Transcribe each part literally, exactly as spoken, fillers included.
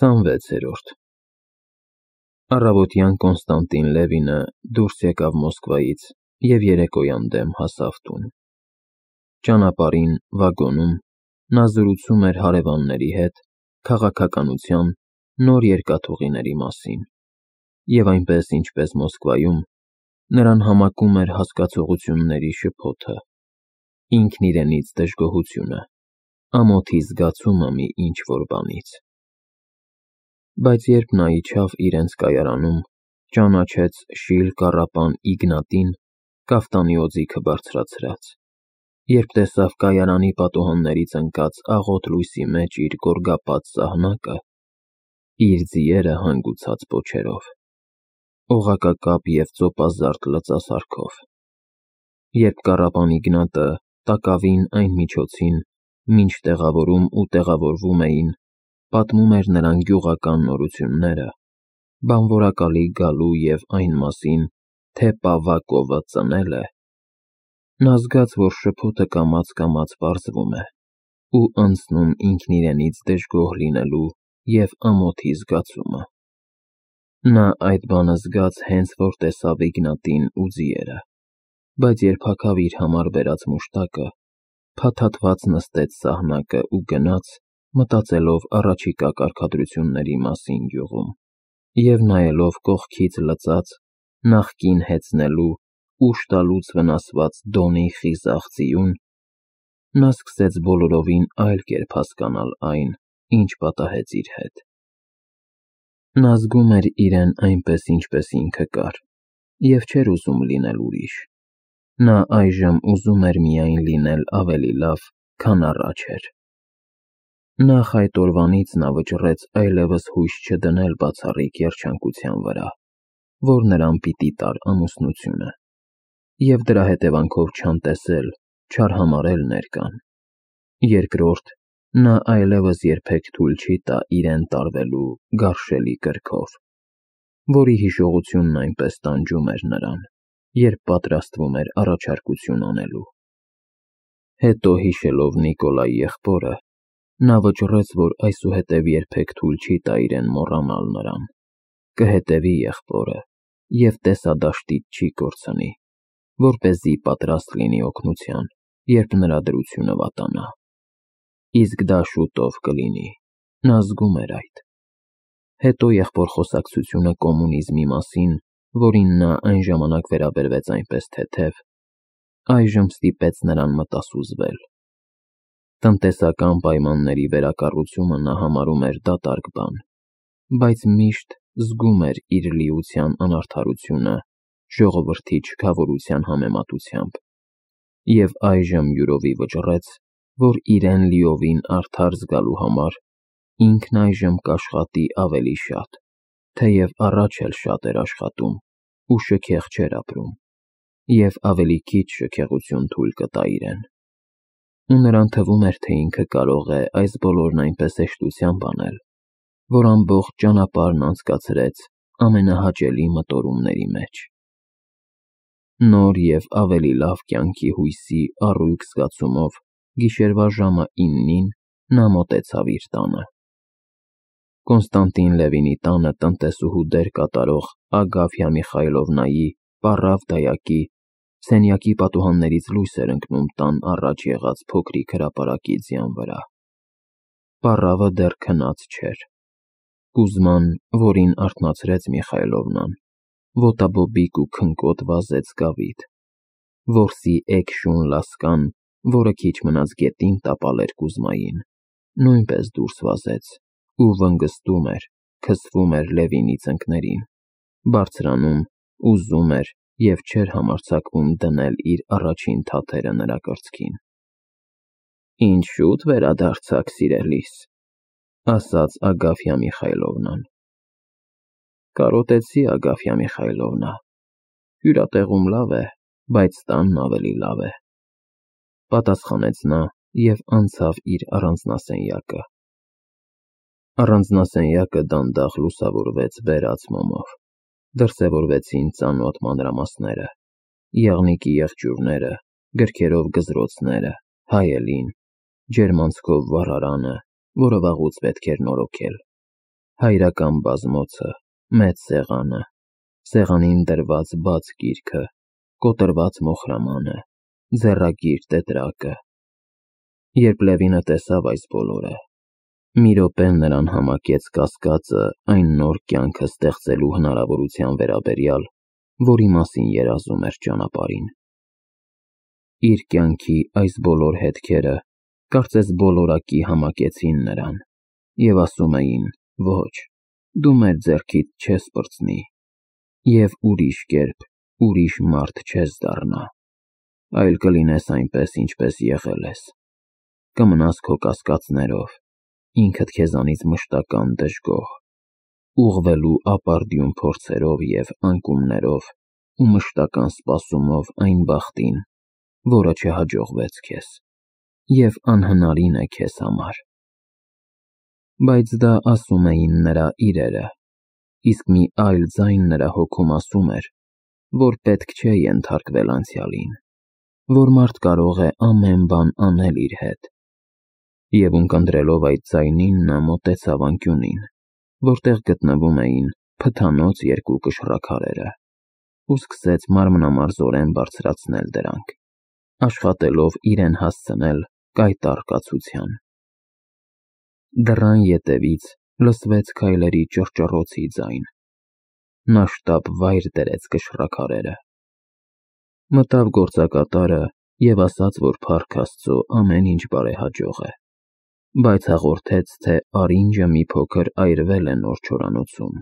քսանվեցերորդ Առավոտյան Կոնստանտին Լևինը դուրս եկավ Մոսկվայից և երեկոյան դեմ հասավ տուն։ Ճանապարհին, վագոնում, նա զրուցում էր հարևանների հետ քաղաքականության, նոր երկաթուղիների մասին, և այնպես, ինչպես Մոսկվայում, նրան համակում էր հասկացողությունների շփոթը, ինքն իրենից դժգոհությունը, ամոթի զգացումը մի ինչ-որ բանից։ Բայց երբ նա իջավ իրենց կայարանում, ճանաչեց շիլ կառապան Իգնատին կաֆտանի օձիքը բարձրացրած, երբ տեսավ կայարանի պատուհաններից ընկած աղոտ լույսի մեջ իր գորգապատ սահնակը, իր ձիերը հանգուցած պոչերով, օղակակապ և ծոպազարդ լծասարքով, երբ կառապան Իգնատը տակավին այն միջոցին, մինչ տեղավորում ու տեղավորվում էին, պատմում էր նրան գյուղական նորությունները, բանվորակալի գալու և այն մասին, թե Պավակովը ծնել է, նա զգաց, որ շփոթը կամաց-կամաց պարզվում է ու անցնում ինքն իրենից դժգոհ լինելու և ամոթի զգացումը։ Նա այդ բանը զգաց հենց որ տեսավ Իգնատին ու ձիերը, բայց երբ հագավ իր համար բերած մուշտակը, փաթաթված նստեց սահնակը ու գնաց, մտածելով առաջիկա կարգադրությունների մասին գյուղում, և նայելով կողքից լծած, նախկին հեծնելու, ուժ տալուց վնասված Դոնի խիզախ ձիուն, նա սկսեց բոլորովին այլ կերպ հասկանալ այն, ինչ պատահեց իր հետ։ Նա զգում էր իրեն այնպես, ինչպես ինքը կար, և չէր ուզում լինել ուրիշ, նա այժմ ուզում էր միայն լինել ավելի լավ, քան առաջ էր։ Նախ այդ օրվանից նա վճռեց այլևս հույս չդնել բացառիկ երջանկության վրա, որ նրան պիտի տար ամուսնությունը, և դրա հետևանքով չանտեսել, չարհամարհել ներկան։ Երկրորդ, նա այլևս երբեք թույլ չի տա իրեն տարվելու գարշելի կրքով, որի հիշողությունն այնպես տանջում էր նրան, երբ պատրաստվում էր առաջարկություն անելու։ Հետո, հիշելով Նիկոլայի եղբորը, նա վճռեց, որ այսուհետև երբեք թույլ չի տա իրեն մոռանալ նրան, կհետևի եղբորը և տեսադաշտից չի կորցնի, որպեսզի պատրաստ լինի օգնության, երբ նրա դրությունը վատանա։ Իսկ դա շուտով կլինի, նա զգում էր այդ։ Հետո եղբոր խոսակցությունը կոմունիզմի մասին, որին նա այն ժամանակ վերաբերվեց այնպես թեթև, այժմ ստիպեց նրան մտասուզվել։ Տնտեսական պայմանների վերակառուցումը նա համարում էր դատարկ բան, բայց միշտ զգում էր իր լիության անարդարությունը ժողովրդի չքավորության համեմատությամբ, և այժմ յուրովի վճռեց, որ իրեն լիովին արդար զգալու համար ինքն այժմ կաշխատի ավելի շատ, թեև առաջ էլ շատ էր աշխատում ու շքեղ չէր ապրում, և ավելի քիչ շքեղություն թույլ կտա իրեն։ Ու նրան թվում էր, թե ինքը կարող է այս բոլորն այնպես հեշտությամբ անել, որ ամբողջ ճանապարհն անցկացրեց ամենահաճելի մտորումների մեջ։ Նոր և ավելի լավ կյանքի հույսի առույգ զգացումով գիշերվա ժամը իննին նա մոտեցավ իր տանը։ Կոնստանտին Լևինի տանը տնտեսուհու դեր կատարող Ագաֆյա Միխայլովնայի պառավ դայակի սենյակի պատուհաններից լույս էր ընկնում տան առաջ եղած փոքրիկ հրապարակի ձյան վրա։ Պառավը դեռ քնած չէր։ Կուզման, որին արթնացրեց Միխայլովնան, ոտաբոբիկ ու քնկոտ վազեց Գավիթ։ Որսի էգ-շուն լասկան, որը քիչ մնաց գետին տապալ էր Կուզմային, նույնպես դուրս վազեց ու վնգստում էր, քսվում էր Լևինի ծնկներին, բարձրանում, ուզում էր և չէր համարձակվում դնել իր առաջին թաթերը նրա կրծքին։ Ինչ շուտ վերադարձաք, սիրելիս, ասաց Ագաֆյա Միխայլովնան։ Կարոտեցի, Ագաֆյա Միխայլովնա, հյուրատեղում լավ է, բայց տանն ավելի լավ է, պատասխանեց նա և անցավ իր առանձնասենյակը։ Առանձնասենյակը դանդաղ լուսավորվեց բերած մոմով, դրսևորվեցին ծանոթ մանրամասները, եղնիկի եղջյուրները, գրքերով գզրոցները, հայելին, ջերմանցքով վառարանը, որը վաղուց պետք էր նորոգել, հայրական բազմոցը, մեծ սեղանը, սեղանին դրված բաց գիրքը, կոտրված մոխրամանը, ձեռագիր տետրակը։ Երբ Լևինը տեսավ այս բոլորը, մի րոպե նրան համակեց կասկածը այն նոր կյանքը ստեղծելու հնարավորության վերաբերյալ, որի մասին երազում էր ճանապարհին։ Իր կյանքի այս բոլոր հետքերը կարծես բոլորակի համակեցին նրան և ասում էին. ոչ, դու մեր ձեռքից չես պրծնի և ուրիշ կերպ, ուրիշ մարդ չես դառնա, այլ կլինես այնպես, ինչպես եղել ես, կմնաս քո կասկածներով, ինքդ քեզանից մշտական դժգոհ, ուղղվելու ապարդյուն փորձերով և անկումներով ու մշտական սպասումով այն բախտին, որը չհաջողվեց քեզ և անհնարին է քեզ համար։ Բայց դա ասում էին նրա իրերը, իսկ մի այլ ձայն նրա հոգում ասում էր, որ պետք չէ ենթարկվել անցյալին, որ մարդ կարող է ամեն բան անել իր հետ։ Եվ ունկնդրելով այդ ձայնին, նա մոտեցավ անկյունին, որտեղ գտնվում էին փթանոց երկու կշռաքարերը, ու սկսեց մանրամասնորեն բարձրացնել դրանք, աշխատելով իրեն հասցնել կայտառ կացության։ Դռան ետևից լսվեց քայլերի ճռճռոցի ձայն։ Նա շտապ վայր դրեց կշռաքարերը։ Մտավ գործակատարը և ասաց, որ փառք Աստծո ամեն ինչ բարեհաջող է, բայց հաղորդեց, թե Արինջը մի փոքր այրվել է նոր չորանոցում։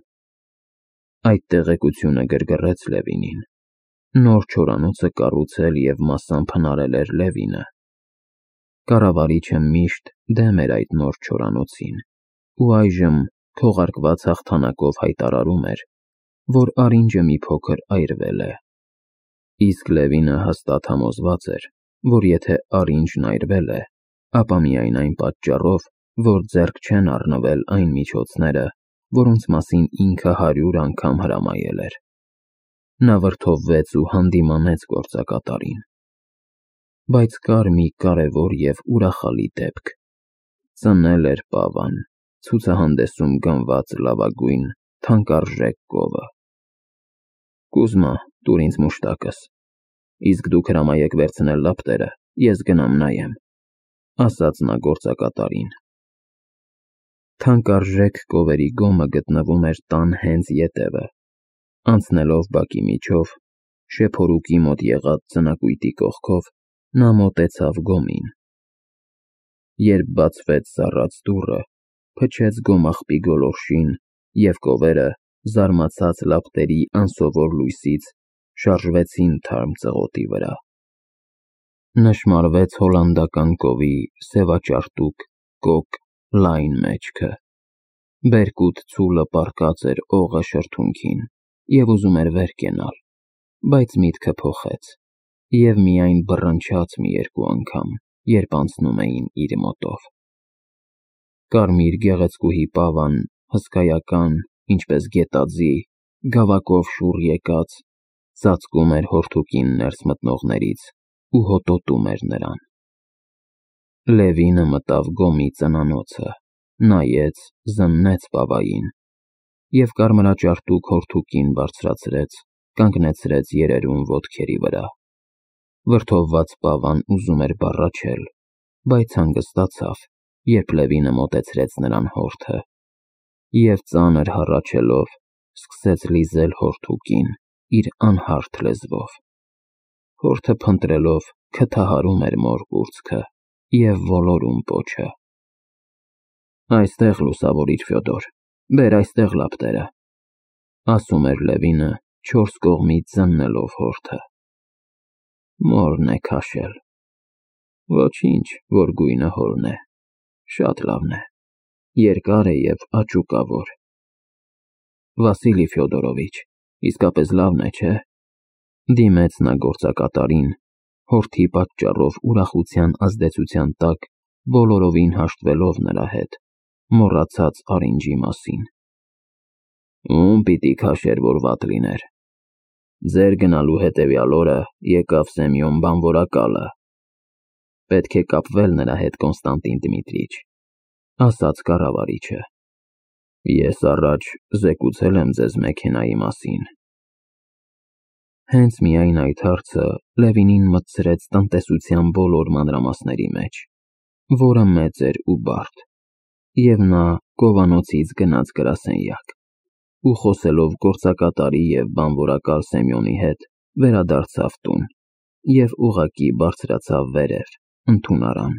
Այդ տեղեկությունը գրգռեց Լևինին։ Նոր չորանոցը կառուցել և մասամբ հնարել էր Լևինը։ Կառավարիչը միշտ դեմ էր այդ նոր չորանոցին ու այժմ քողարկված հաղթանակով հայտարարում էր, որ Արինջը մի փոքր այրվել է։ Իսկ Լևինը հաստատ համոզված էր, որ եթե Արինջն այրվել է, ապա միայն այն պատճառով, որ ձեռք չեն առնվել այն միջոցները, որոնց մասին ինքը հարյուր անգամ հրամայել էր։ Նա վրդովվեց ու հանդիմանեց գործակատարին։ Բայց կար մի կարևոր և ուրախալի դեպք. ծնել էր պավան, ցուցահանդեսում գնված լավագույն թանկարժեք կովը։ Կուզմա, տուր ինձ մուշտակս, իսկ դուք հրամայեք վերցնել լապտերը, ես գնամ նայեմ, ասաց նա գործակատարին։ Թանկարժեք կովերի գոմը գտնվում էր տան հենց ետևը։ Անցնելով բակի միջով, շեփորուկի մոտ եղած ձնակույտի կողքով, նա մոտեցավ գոմին։ Երբ բացվեց սառած դուռը, փչեց գոմաղբի գոլորշին, և կովերը, զարմացած լապտերի անսովոր լույսից, շարժվեցին թարմ ծղոտի վրա։ Նշմարվեց հոլանդական կովի սևաճարտուկ, կոկ, լայն մեջքը։ Բերկուտ ցուլը պառկած էր օղը շրթունքին և ուզում էր վեր կենալ, բայց միտքը փոխեց և միայն բռնչաց մի երկու անգամ, երբ անցնում էին իր մոտով։ Կարմիր գեղեցկուհի պավան, հսկայական, ինչպես գետաձի, գավակով շուռ եկած, ծածկում էր հորթուկին ներս մտնողներից ու հոտոտում էր նրան։ Լևինը մտավ գոմի ծնանոցը, նայեց, զննեց պավային և կարմրաճարտուկ հորթուկին բարձրացրեց, կանգնեցրեց երերուն ոտքերի վրա։ Վրդովված պավան ուզում էր բառաչել, բայց հանգստացավ, երբ Լևինը մոտեցրեց նրան հորթը և ծանր հառաչելով, սկսեց լիզել հորթուկին իր անհարթ լեզվով։ Հորթը փնտրելով քթահարում էր մոր կուրծքը և ոլորում պոչը։ Այստեղ լուսավորիր, Ֆյոդոր, բեր այստեղ լապտերը, ասում էր Լևինը, չորս կողմից զննելով հորթը։ Մորն է քաշել։ Ոչինչ, որ գույնը հորն է, շատ լավն է, երկար է և աճուկավոր։ Վասիլի Ֆյոդորովիչ, իսկապես լավն է, չէ՞, դիմեց նա գործակատարին, հորթի պատճառով ուրախության ազդեցության տակ բոլորովին հաշտվելով նրա հետ, մոռացած Արինջի մասին։ Ում պիտի քաշեր, որ վատ լիներ։ Ձեր գնալու հետևյալ օրը եկավ Սեմյոն բանվորակալը։ Պետք է կապվել նրա հետ, Կոնստանտին Դմիտրիչ, ասաց կառավարիչը։ Ես առաջ զեկուցել եմ ձեզ մեքենայի մասին։ Հենց միայն այդ հարցը Լևինին մտցրեց տնտեսության բոլոր մանրամասների մեջ, որը մեծ էր ու բարդ, և նա գովանոցից գնաց գրասենյակ ու խոսելով գործակատարի և բանվորակալ Սեմյոնի հետ վերադարձավ տուն և ուղղակի բարձրացավ վերև, ընդունարան։